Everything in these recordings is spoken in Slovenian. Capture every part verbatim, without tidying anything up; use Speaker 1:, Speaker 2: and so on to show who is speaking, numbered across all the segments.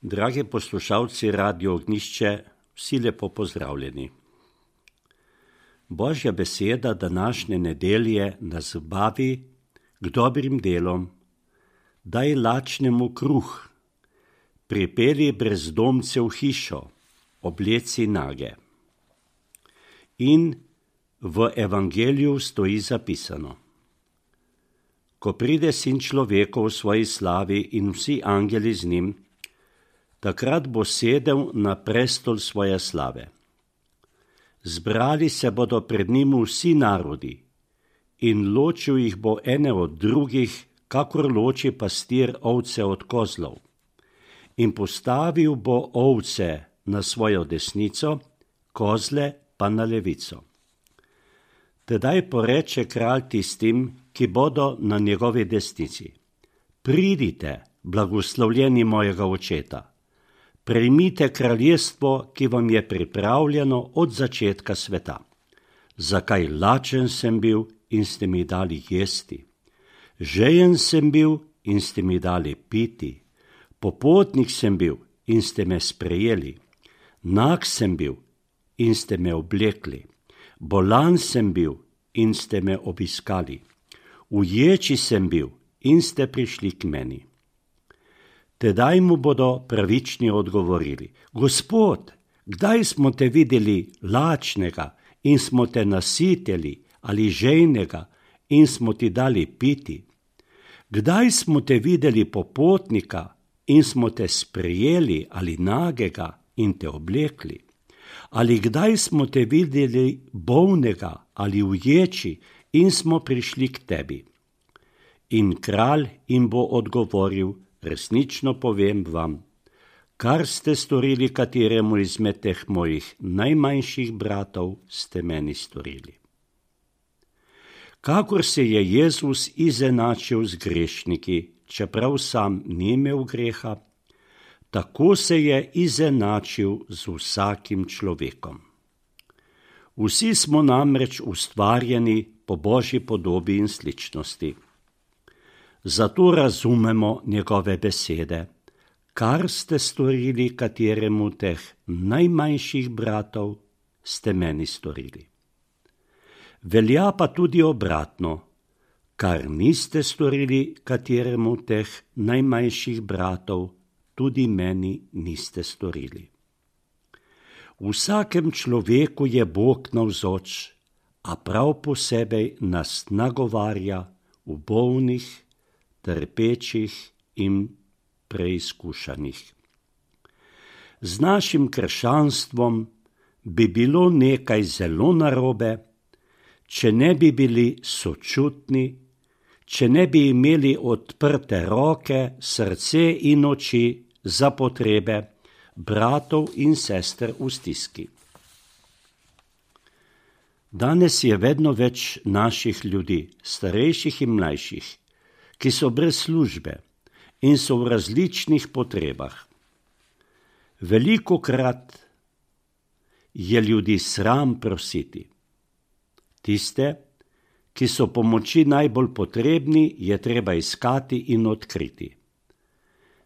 Speaker 1: Dragi poslušalci Radio Ognjišče, vsi lepo pozdravljeni. Božja beseda današnje nedelje nas vabi k dobrim delom. Daj lačnemu kruh, pripelji brezdomce v hišo, obleci nage. In v evangeliju stoji zapisano: ko pride sin človekov v svoji slavi in vsi angeli z njim, takrat bo sedel na prestol svoje slave. Zbrali se bodo pred njim vsi narodi in ločil jih bo ene od drugih, kakor loči pastir ovce od kozlov. In postavil bo ovce na svojo desnico, kozle pa na levico. Tedaj poreče kralj tistim, ki bodo na njegovi desnici: pridite, blagoslovljeni mojega očeta, prejmite kraljestvo, ki vam je pripravljeno od začetka sveta. Zakaj lačen sem bil in ste mi dali jesti? Žejen sem bil in ste mi dali piti. Popotnik sem bil in ste me sprejeli. Nag sem bil in ste me oblekli. Bolan sem bil in ste me obiskali. Uječi sem bil in ste prišli k meni. Tedaj mu bodo pravični odgovorili: Gospod, kdaj smo te videli lačnega in smo te nasitili, ali žejnega in smo ti dali piti? Kdaj smo te videli popotnika in smo te sprejeli, ali nagega in te oblekli? Ali kdaj smo te videli bolnega ali uječi in smo prišli k tebi? In kralj jim bo odgovoril: resnično povem vam, kar ste storili kateremu izmed teh mojih najmanjših bratov, ste meni storili. Kakor se je Jezus izenačil z grešniki, čeprav sam ni imel greha, tako se je izenačil z vsakim človekom. Vsi smo namreč ustvarjeni po Božji podobi in sličnosti. Zato razumemo njegove besede: kar ste storili kateremu teh najmanjših bratov, ste meni storili. Velja pa tudi obratno: kar niste storili kateremu teh najmanjših bratov, tudi meni niste storili. V vsakem človeku je Bog navzoč, a prav posebej nas nagovarja v bolnih, trpečih in preizkušanih. Z našim krščanstvom bi bilo nekaj zelo narobe, če ne bi bili sočutni, če ne bi imeli odprte roke, srce in oči za potrebe bratov in sester v stiski. Danes je vedno več naših ljudi, starejših in mlajših, ki so brez službe in so v različnih potrebah. Velikokrat je ljudi sram prositi. Tiste, ki so pomoči najbolj potrebni, je treba iskati in odkriti.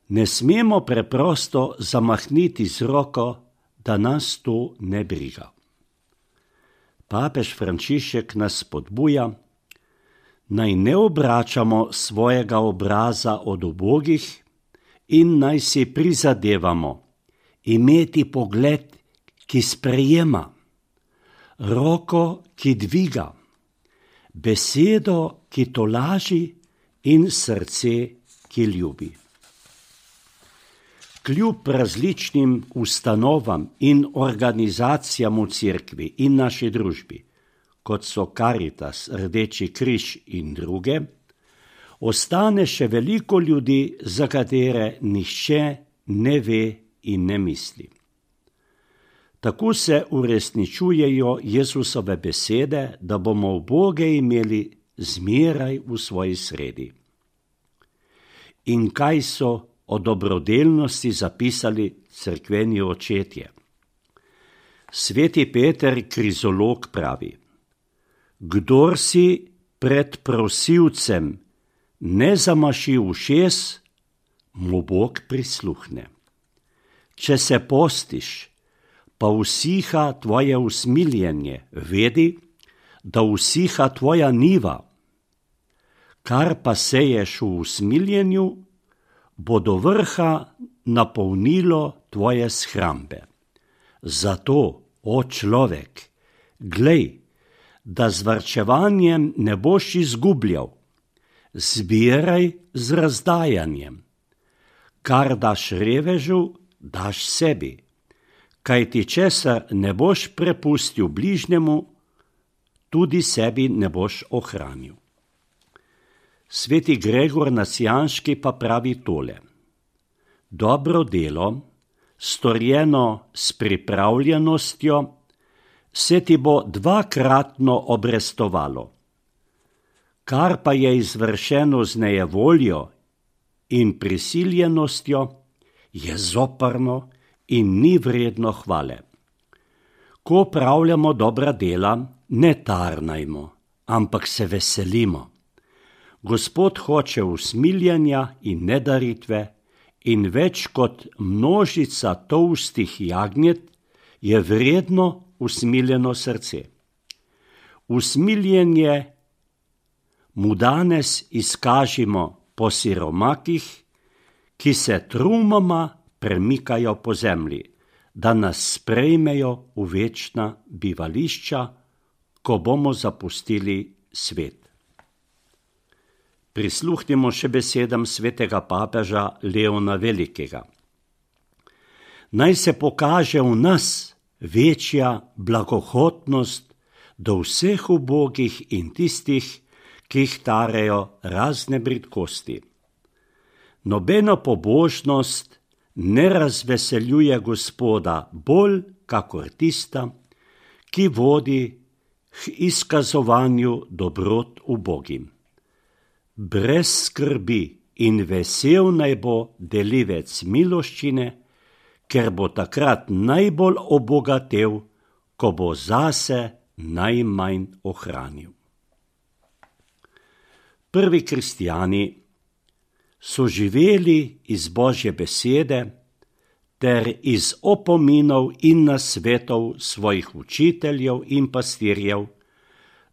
Speaker 1: Ne smemo preprosto zamahniti z roko, da nas to ne briga. Papež Frančišek nas spodbuja, naj ne obračamo svojega obraza od ubogih in naj si prizadevamo imeti pogled, ki sprejema, roko, ki dviga, besedo, ki tolaži, in srce, ki ljubi. Kljub različnim ustanovam in organizacijam v cerkvi in naši družbi, kot so Karitas, Rdeči križ in druge, ostane še veliko ljudi, za katere nihče ne ve in ne misli. Tako se uresničujejo Jezusove besede, da bomo uboge imeli zmeraj v svoji sredi. In kaj so o dobrodelnosti zapisali cerkveni očetje? Sveti Peter Krizolog pravi: kdor si pred prosilcem ne zamaši ušes, mu Bog prisluhne. če se postiš, pa usiha tvoje usmiljenje, vedi, da usiha tvoja niva. Kar pa seješ v usmiljenju, bo do vrha napolnilo tvoje shrambe. Zato, o človek, glej, da z varčevanjem ne boš izgubljal, zbiraj z razdajanjem. Kar daš revežu, daš sebi, kajti česar ne boš prepustil bližnjemu, tudi sebi ne boš ohranil. Sveti Gregor Nasijanški pa pravi tole: dobro delo, storjeno s pripravljenostjo, se ti bo dvakratno obrestovalo. Kar pa je izvršeno z nejevoljo in prisiljenostjo, je zoprno in ni vredno hvale. Ko opravljamo dobra dela, ne tarnajmo, ampak se veselimo. Gospod hoče usmiljanja in nedaritve, in več kot množica tolstih jagnjet je vredno usmiljeno srce. Usmiljenje mu danes izkažimo po siromakih, ki se trumoma premikajo po zemlji, da nas sprejmejo v večna bivališča, ko bomo zapustili svet. Prisluhnimo še besedam svetega papeža Leona Velikega. Naj se pokaže v nas večja blagohotnost do vseh ubogih in tistih, ki jih tarejo razne bridkosti. Nobena pobožnost ne razveseljuje Gospoda bolj kakor tista, ki vodi k izkazovanju dobrot ubogim. Brez skrbi in vesel naj bo delivec miloščine, ker bo takrat najbolj obogatel, ko bo zase najmanj ohranil. Prvi kristjani so živeli iz Božje besede ter iz opominov in nasvetov svojih učiteljev in pastirjev,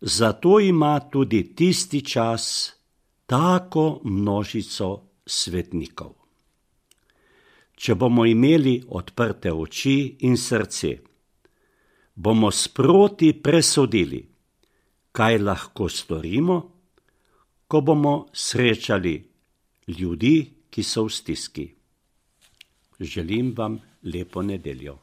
Speaker 1: zato ima tudi tisti čas tako množico svetnikov. Če bomo imeli odprte oči in srce, bomo sproti presodili, kaj lahko storimo, ko bomo srečali ljudi, ki so v stiski. Želim vam lepo nedeljo.